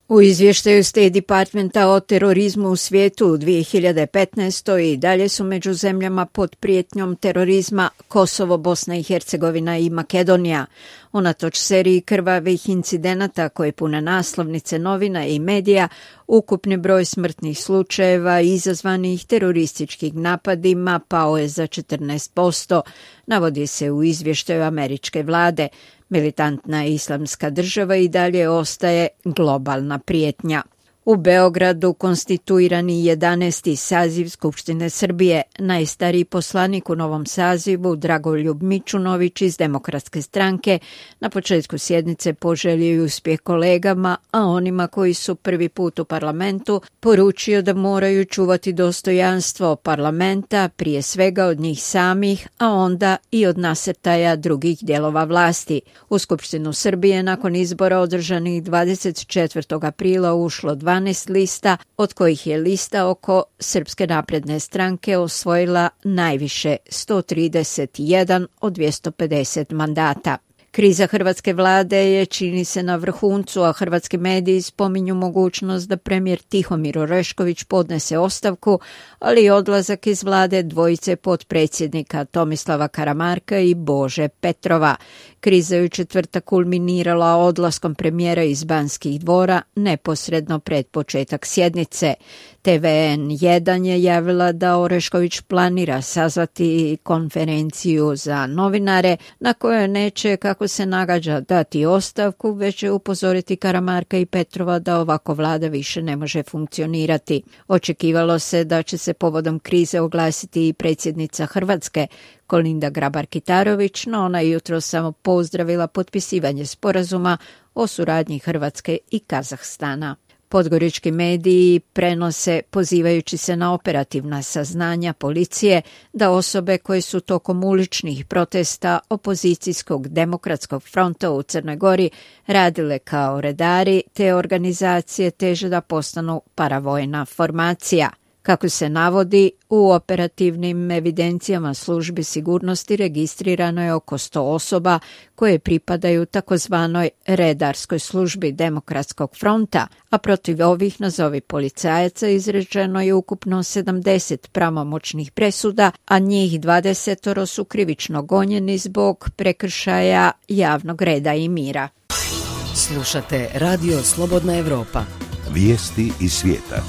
U izvještaju State Departmenta o terorizmu u svijetu u 2015. i dalje su među zemljama pod prijetnjom terorizma Kosovo, Bosna i Hercegovina i Makedonija. Unatoč seriji krvavih incidenata koje pune naslovnice novina i medija, ukupni broj smrtnih slučajeva izazvanih terorističkim napadima pao je za 14%, navodi se u izvještaju američke vlade. Militantna islamska država i dalje ostaje globalna prijetnja. U Beogradu konstituirani 11. saziv Skupštine Srbije. Najstariji poslanik u novom sazivu, Dragoljub Mićunović iz Demokratske stranke, na početku sjednice poželio i uspjeh kolegama, a onima koji su prvi put u parlamentu poručio da moraju čuvati dostojanstvo parlamenta, prije svega od njih samih, a onda i od nasrtaja drugih dijelova vlasti. U Skupštinu Srbije nakon izbora održanih 24. aprila ušlo 12 lista, od kojih je lista oko Srpske napredne stranke osvojila najviše 131 od 250 mandata. Kriza hrvatske vlade je, čini se, na vrhuncu, a hrvatski mediji spominju mogućnost da premijer Tihomir Orešković podnese ostavku, ali i odlazak iz vlade dvojice potpredsjednika Tomislava Karamarka i Bože Petrova. Kriza je u četvrtak kulminirala odlaskom premijera iz Banskih dvora neposredno pred početak sjednice. TVN1 je javila da Orešković planira sazvati konferenciju za novinare na kojoj neće, kako se nagađa, dati ostavku, već će upozoriti Karamarka i Petrova da ovako vlada više ne može funkcionirati. Očekivalo se da će se povodom krize oglasiti i predsjednica Hrvatske, Kolinda Grabar-Kitarović, no ona je jutro samo pozdravila potpisivanje sporazuma o suradnji Hrvatske i Kazahstana. Podgorički mediji prenose, pozivajući se na operativna saznanja policije, da osobe koje su tokom uličnih protesta opozicijskog demokratskog fronta u Crnoj Gori radile kao redari, te organizacije teže da postanu paravojna formacija. Kako se navodi, u operativnim evidencijama službi sigurnosti registrirano je oko 100 osoba koje pripadaju takozvanoj redarskoj službi Demokratskog fronta, a protiv ovih nazovi policajaca izrečeno je ukupno 70 pravomoćnih presuda, a njih 20 su krivično gonjeni zbog prekršaja javnog reda i mira. Slušate Radio Slobodna Evropa. Vijesti iz svijeta.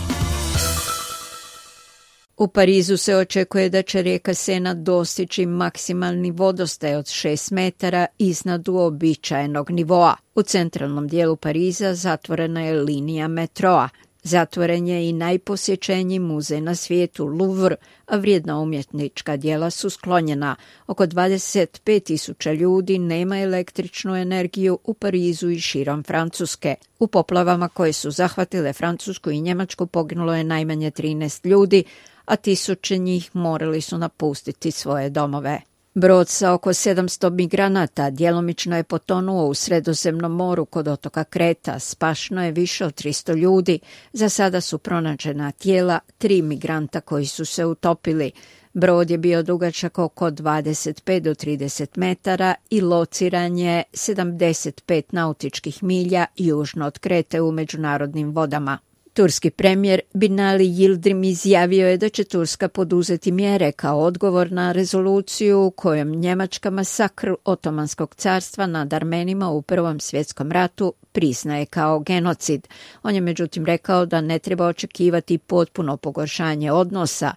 U Parizu se očekuje da će rijeka Sena dostići maksimalni vodostaj od 6 metara iznad uobičajenog nivoa. U centralnom dijelu Pariza zatvorena je linija metroa. Zatvoren je i najposjećeniji muzej na svijetu, Louvre, a vrijedna umjetnička djela su sklonjena. Oko 25.000 ljudi nema električnu energiju u Parizu i širom Francuske. U poplavama koje su zahvatile Francusku i Njemačku poginulo je najmanje 13 ljudi, a tisuće njih morali su napustiti svoje domove. Brod sa oko 700 migranata djelomično je potonuo u Sredozemnom moru kod otoka Kreta. Spašeno je više od 300 ljudi. Za sada su pronađena tijela 3 migranta koji su se utopili. Brod je bio dugačak oko 25 do 30 metara i lociran je 75 nautičkih milja južno od Krete u međunarodnim vodama. Turski premijer Binali Yildirim izjavio je da će Turska poduzeti mjere kao odgovor na rezoluciju kojom Njemačka masakr Otomanskog carstva nad Armenima u Prvom svjetskom ratu priznaje kao genocid. On je međutim rekao da ne treba očekivati potpuno pogoršanje odnosa